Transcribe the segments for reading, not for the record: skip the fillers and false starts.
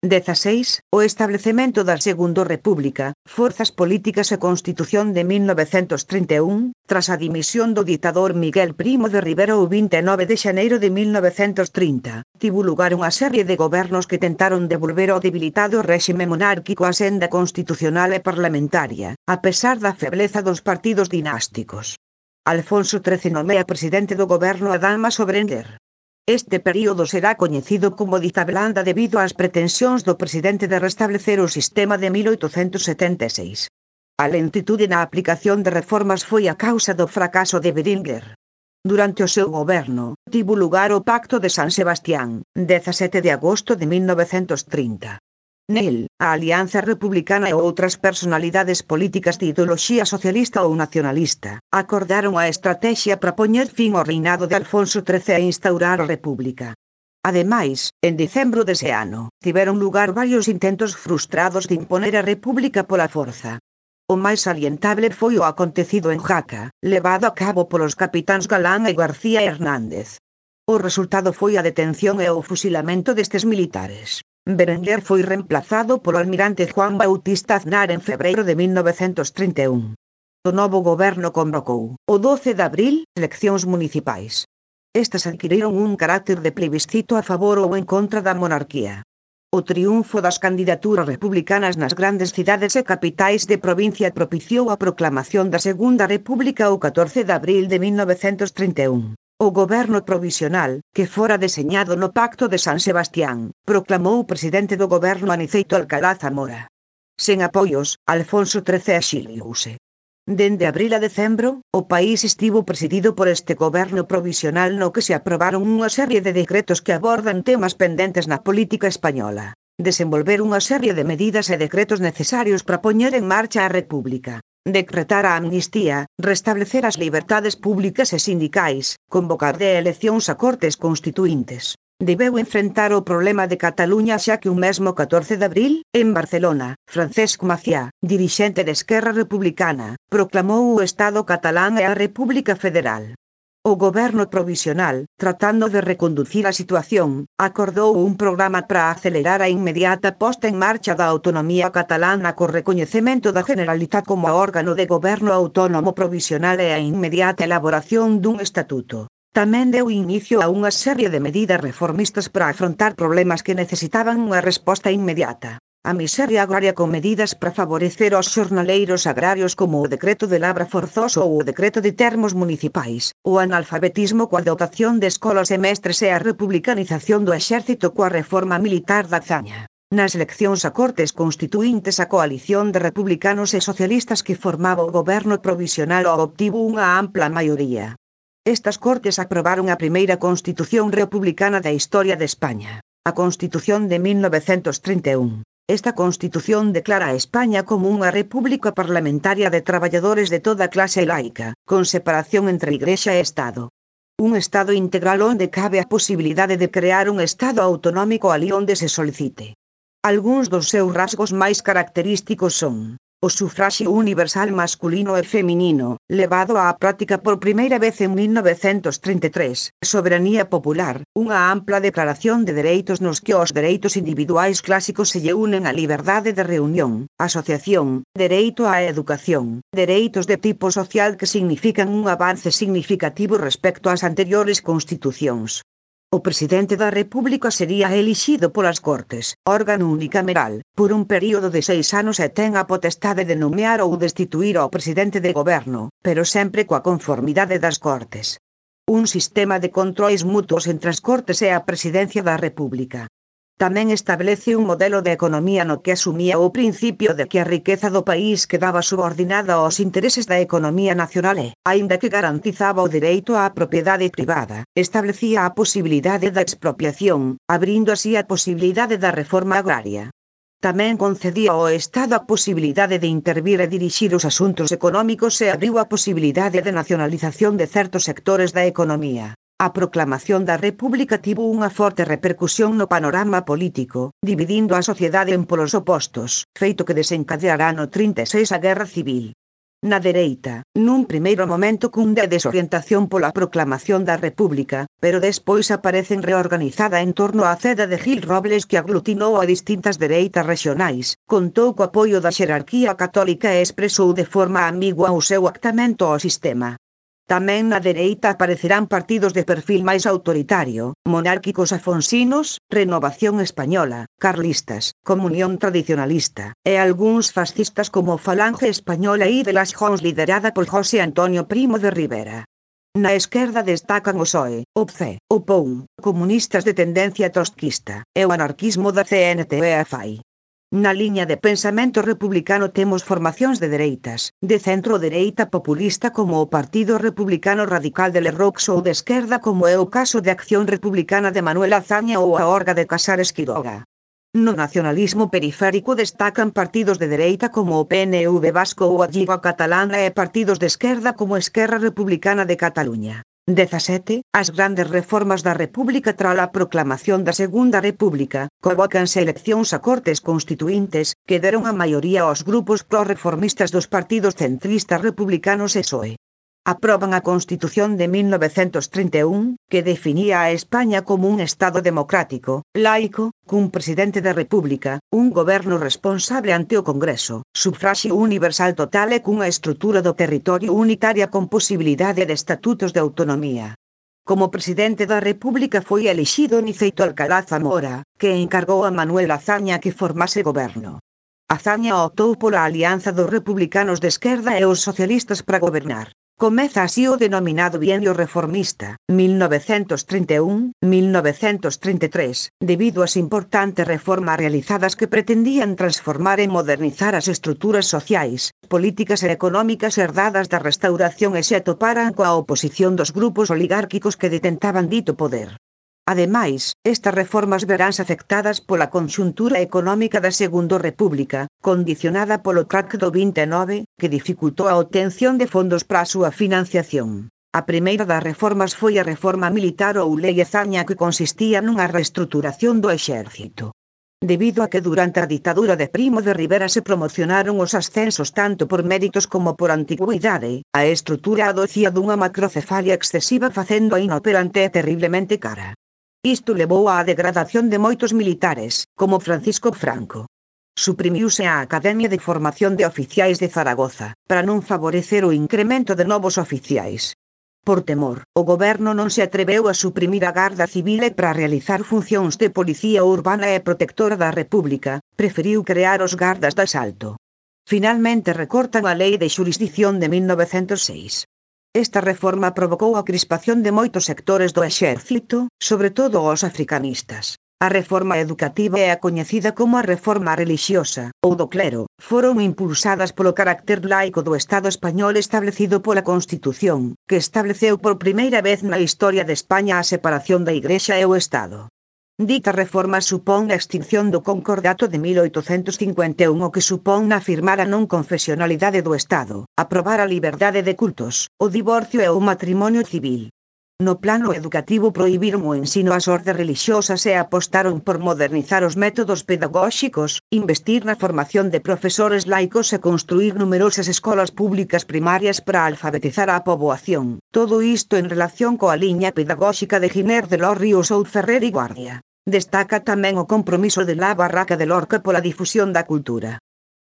16. O establecemento da Segunda República, forzas políticas e Constitución de 1931, tras a dimisión do ditador Miguel Primo de Rivera o 29 de xaneiro de 1930, tivo lugar unha serie de gobernos que tentaron devolver ao debilitado réxime monárquico a senda constitucional e parlamentaria, a pesar da febleza dos partidos dinásticos. Alfonso XIII nomea presidente do goberno a Dalma Sobrenger. Este período será coñecido como dita blanda debido ás pretensións do presidente de restablecer o sistema de 1876. A lentitude na aplicación de reformas foi a causa do fracaso de Berenguer. Durante o seu goberno, tivo lugar o Pacto de San Sebastián, 17 de agosto de 1930. Nel, a Alianza Republicana e outras personalidades políticas de ideoloxía socialista ou nacionalista acordaron a estrategia para poñer fin ao reinado de Alfonso XIII e instaurar a República. Ademais, en decembro dese ano, tiveron lugar varios intentos frustrados de imponer a República pola forza. O máis salientable foi o acontecido en Jaca, levado a cabo polos capitáns Galán e García Hernández. O resultado foi a detención e o fusilamento destes militares. Berenguer foi reemplazado polo almirante Juan Bautista Aznar en febreiro de 1931. O novo goberno convocou, o 12 de abril, eleccións municipais. Estas adquiriron un carácter de plebiscito a favor ou en contra da monarquía. O triunfo das candidaturas republicanas nas grandes cidades e capitais de provincia propiciou a proclamación da Segunda República o 14 de abril de 1931. O goberno provisional, que fora deseñado no Pacto de San Sebastián, proclamou o presidente do goberno Aniceto Alcalá Zamora. Sen apoios, Alfonso XIII exiliouse. Dende abril a decembro, o país estivo presidido por este goberno provisional no que se aprobaron unha serie de decretos que abordan temas pendentes na política española. Desenvolver unha serie de medidas e decretos necesarios para poñer en marcha a República. Decretar a amnistía, restablecer as liberdades públicas e sindicais, convocar de eleccións a cortes constituíntes. Debeu enfrentar o problema de Cataluña xa que un mesmo 14 de abril, en Barcelona, Francesc Macià, dirixente de Esquerra Republicana, proclamou o Estado catalán e a República Federal. O goberno provisional, tratando de reconducir a situación, acordou un programa para acelerar a inmediata posta en marcha da autonomía catalana co recoñecemento da Generalitat como órgano de goberno autónomo provisional e a inmediata elaboración dun estatuto. Tamén deu inicio a unha serie de medidas reformistas para afrontar problemas que necesitaban unha resposta inmediata. A miseria agraria con medidas para favorecer aos xornaleiros agrarios como o decreto de labra forzoso ou o decreto de termos municipais, o analfabetismo coa dotación de escolas e mestres e a republicanización do exército coa reforma militar da Azaña. Nas eleccións a cortes constituíntes a coalición de republicanos e socialistas que formaba o goberno provisional obtivo unha ampla maioría. Estas cortes aprobaron a primeira constitución republicana da historia de España, a Constitución de 1931. Esta Constitución declara a España como unha república parlamentaria de traballadores de toda clase e laica, con separación entre Igrexa e Estado. Un Estado integral onde cabe a posibilidade de crear un Estado autonómico alí onde se solicite. Algúns dos seus rasgos máis característicos son: o sufraxio universal masculino e feminino, levado á práctica por primeira vez en 1933, soberanía popular, unha ampla declaración de dereitos nos que os dereitos individuais clásicos se lle unen á liberdade de reunión, asociación, dereito á educación, dereitos de tipo social que significan un avance significativo respecto ás anteriores constitucións. O presidente da República sería elixido polas Cortes, órgano unicameral, por un período de 6 anos e ten a potestade de nomear ou destituir ao presidente de goberno, pero sempre coa conformidade das Cortes. Un sistema de controis mutuos entre as Cortes e a Presidencia da República. Tamén establece un modelo de economía no que asumía o principio de que a riqueza do país quedaba subordinada aos intereses da economía nacional e, aínda que garantizaba o dereito á propiedade privada, establecía a posibilidade da expropiación, abrindo así a posibilidade da reforma agraria. Tamén concedía ao Estado a posibilidade de intervir e dirixir os asuntos económicos e abriu a posibilidade de nacionalización de certos sectores da economía. A proclamación da República tivo unha forte repercusión no panorama político, dividindo a sociedade en polos opostos, feito que desencadeará no 36 a Guerra Civil. Na dereita, nun primeiro momento cunde a desorientación pola proclamación da República, pero despois aparecen reorganizada en torno á ceda de Gil Robles que aglutinou a distintas dereitas rexionais, contou co apoio da xerarquía católica e expresou de forma ambigua o seu actamento ao sistema. Tamén na dereita aparecerán partidos de perfil máis autoritario, monárquicos afonsinos, Renovación Española, carlistas, Comunión Tradicionalista, e algúns fascistas como Falange Española e de las Jons liderada por José Antonio Primo de Rivera. Na esquerda destacan o PSOE, o PCE, o POUM, comunistas de tendencia trotskista, e o anarquismo da CNT e a FAI. Na liña de pensamento republicano temos formacións de dereitas, de centro-dereita populista como o Partido Republicano Radical de Lerroux ou de esquerda como é o caso de Acción Republicana de Manuel Azaña ou a Orga de Casares Quiroga. No nacionalismo periférico destacan partidos de dereita como o PNV vasco ou a Lliga Catalana e partidos de esquerda como Esquerra Republicana de Cataluña. 17. As grandes reformas da República tras a proclamación da Segunda República, convócanse eleccións a Cortes Constituíntes, que deron a maioría aos grupos prorreformistas dos partidos centristas republicanos e PSOE. Aproban a Constitución de 1931, que definía a España como un Estado democrático, laico, cun presidente da República, un goberno responsable ante o Congreso, sufraxio universal total e cunha estrutura do territorio unitaria con posibilidade de estatutos de autonomía. Como presidente da República foi elixido Niceito Alcalá Zamora, que encargou a Manuel Azaña que formase goberno. Azaña optou pola alianza dos republicanos de esquerda e os socialistas para gobernar. Comeza así o denominado bienio reformista, 1931-1933, debido ás importantes reformas realizadas que pretendían transformar e modernizar as estruturas sociais, políticas e económicas herdadas da Restauración e se atoparan coa oposición dos grupos oligárquicos que detentaban dito poder. Ademais, estas reformas veránse afectadas pola conxuntura económica da Segunda República, condicionada polo Tract do 29, que dificultou a obtención de fondos para a súa financiación. A primeira das reformas foi a reforma militar ou Lei Azaña que consistía nunha reestruturación do exército. Debido a que durante a ditadura de Primo de Rivera se promocionaron os ascensos tanto por méritos como por antigüidade, a estrutura adocía dunha macrocefalia excesiva facendo a inoperante e terriblemente cara. Isto levou á degradación de moitos militares, como Francisco Franco. Suprimiuse a Academia de Formación de Oficiais de Zaragoza, para non favorecer o incremento de novos oficiais. Por temor, o goberno non se atreveu a suprimir a Garda Civil e para realizar funcións de policía urbana e protectora da República, preferiu crear os gardas de asalto. Finalmente recortan a Lei de Xurisdición de 1906. Esta reforma provocou a crispación de moitos sectores do exército, sobre todo os africanistas. A reforma educativa é a coñecida como a reforma relixiosa, ou do clero, foron impulsadas polo carácter laico do Estado español establecido pola Constitución, que estableceu por primeira vez na historia de España a separación da Igrexa e o Estado. Dita reforma supón a extinción do Concordato de 1851 o que supón afirmar a non confesionalidade do Estado, aprobar a liberdade de cultos, o divorcio e o matrimonio civil. No plano educativo prohibiron o ensino ás ordes relixiosas e apostaron por modernizar os métodos pedagóxicos, investir na formación de profesores laicos e construir numerosas escolas públicas primarias para alfabetizar á poboación. Todo isto en relación coa liña pedagóxica de Giner de los Ríos ou Ferrer e Guardia. Destaca tamén o compromiso de la Barraca de Lorca pola difusión da cultura.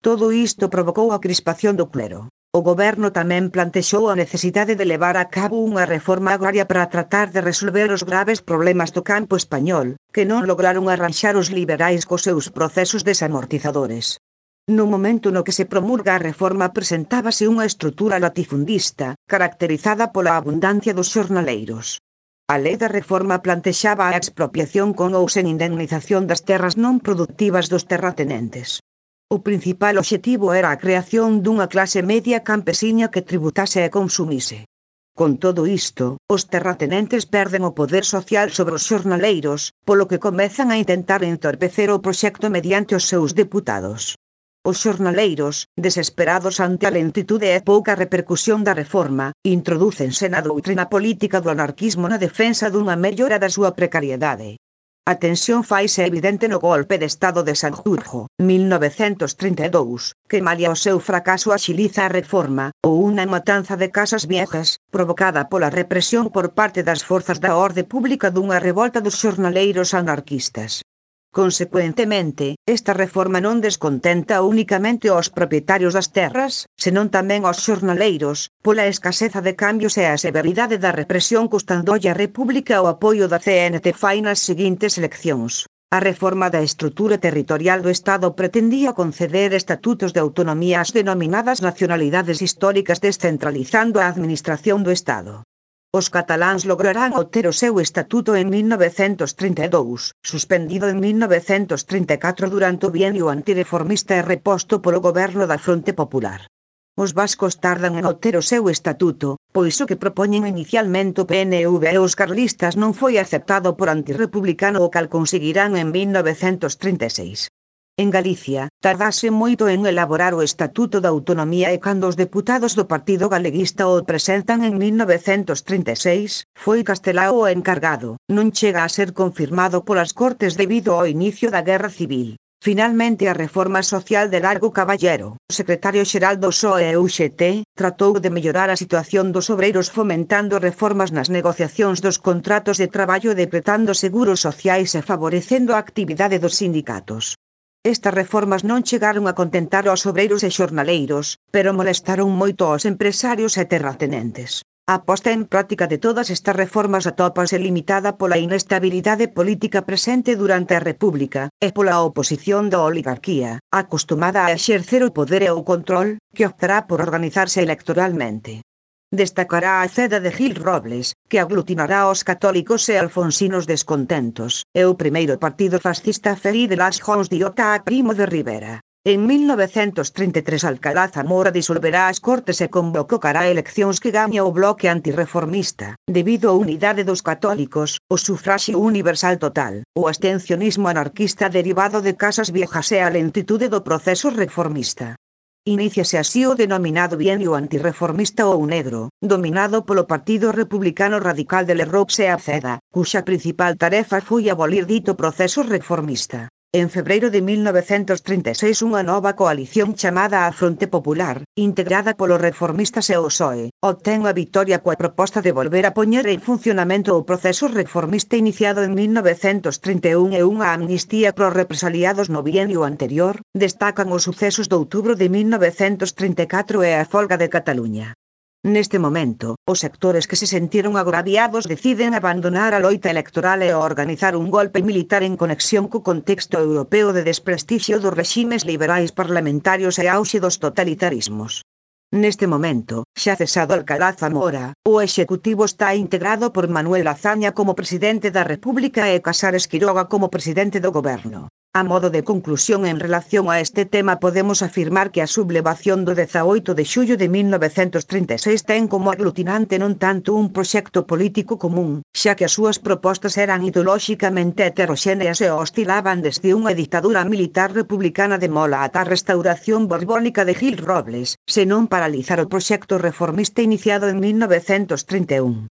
Todo isto provocou a crispación do clero. O goberno tamén plantexou a necesidade de levar a cabo unha reforma agraria para tratar de resolver os graves problemas do campo español, que non lograron arranxar os liberais cos seus procesos desamortizadores. No momento no que se promulga a reforma presentábase unha estrutura latifundista, caracterizada pola abundancia dos xornaleiros. A lei da reforma plantexaba a expropiación con ou sen indemnización das terras non productivas dos terratenentes. O principal obxectivo era a creación dunha clase media campesiña que tributase e consumise. Con todo isto, os terratenentes perden o poder social sobre os xornaleiros, polo que comezan a intentar entorpecer o proxecto mediante os seus deputados. Os xornaleiros, desesperados ante a lentitude e pouca repercusión da reforma, introdúcense na doutrina política do anarquismo na defensa dunha mellora da súa precariedade. A tensión faise evidente no golpe de Estado de Sanjurjo, 1932, que malia o seu fracaso axiliza a reforma, ou unha matanza de casas viejas, provocada pola represión por parte das forzas da orde pública dunha revolta dos xornaleiros anarquistas. Consecuentemente, esta reforma non descontenta únicamente aos propietarios das terras, senón tamén aos xornaleiros, pola escaseza de cambios e a severidade da represión custándolle á República o apoio da CNT fai nas seguintes eleccións. A reforma da estrutura territorial do Estado pretendía conceder estatutos de autonomía ás denominadas nacionalidades históricas descentralizando a administración do Estado. Os cataláns lograrán obter o seu estatuto en 1932, suspendido en 1934 durante o bienio antireformista e reposto polo goberno da Fronte Popular. Os vascos tardan en obter o seu estatuto, pois o que propoñen inicialmente o PNV e os carlistas non foi aceptado por antirrepublicano o cal conseguirán en 1936. En Galicia, tardase moito en elaborar o Estatuto da Autonomía e cando os deputados do Partido Galeguista o presentan en 1936, foi Castelao o encargado, non chega a ser confirmado polas Cortes debido ao inicio da Guerra Civil. Finalmente a reforma social de Largo Caballero, o secretario xeral do PSOE e UGT, tratou de mellorar a situación dos obreiros fomentando reformas nas negociacións dos contratos de traballo e decretando seguros sociais e favorecendo a actividade dos sindicatos. Estas reformas non chegaron a contentar aos obreiros e xornaleiros, pero molestaron moito aos empresarios e terratenentes. A posta en práctica de todas estas reformas atópase limitada pola inestabilidade política presente durante a República, e pola oposición da oligarquía, acostumada a exercer o poder e o control, que optará por organizarse electoralmente. Destacará a ceda de Gil Robles, que aglutinará aos católicos e alfonsinos descontentos, e o primeiro partido fascista Feli de las Jons de Ota Primo de Rivera. En 1933 Alcalá Zamora disolverá as Cortes e convocará eleccións que gaña o bloque antirreformista, debido á unidade dos católicos, o sufraxio universal total, o abstencionismo anarquista derivado de casas viejas e a lentitude do proceso reformista. Iníciase así o denominado bienio antirreformista ou negro, dominado polo Partido Republicano Radical de Lerroux e Aceda, cuxa principal tarefa foi abolir dito proceso reformista. En febreiro de 1936 unha nova coalición chamada a Fronte Popular, integrada polos reformistas e o PSOE, obtén a vitoria coa proposta de volver a poñer en funcionamento o proceso reformista iniciado en 1931 e unha amnistía pros represaliados no bienio anterior, destacan os sucesos de outubro de 1934 e a folga de Cataluña. Neste momento, os sectores que se sentiron agraviados deciden abandonar a loita electoral e organizar un golpe militar en conexión co contexto europeo de desprestixio dos reximes liberais parlamentarios e auxe dos totalitarismos. Neste momento, xa cesado Alcalá Zamora, o executivo está integrado por Manuel Azaña como presidente da República e Casares Quiroga como presidente do goberno. A modo de conclusión en relación a este tema podemos afirmar que a sublevación do 18 de xullo de 1936 ten como aglutinante non tanto un proxecto político común, xa que as súas propostas eran ideolóxicamente heteroxéneas e oscilaban desde unha ditadura militar republicana de Mola ata a restauración borbónica de Gil Robles, senón paralizar o proxecto reformista iniciado en 1931.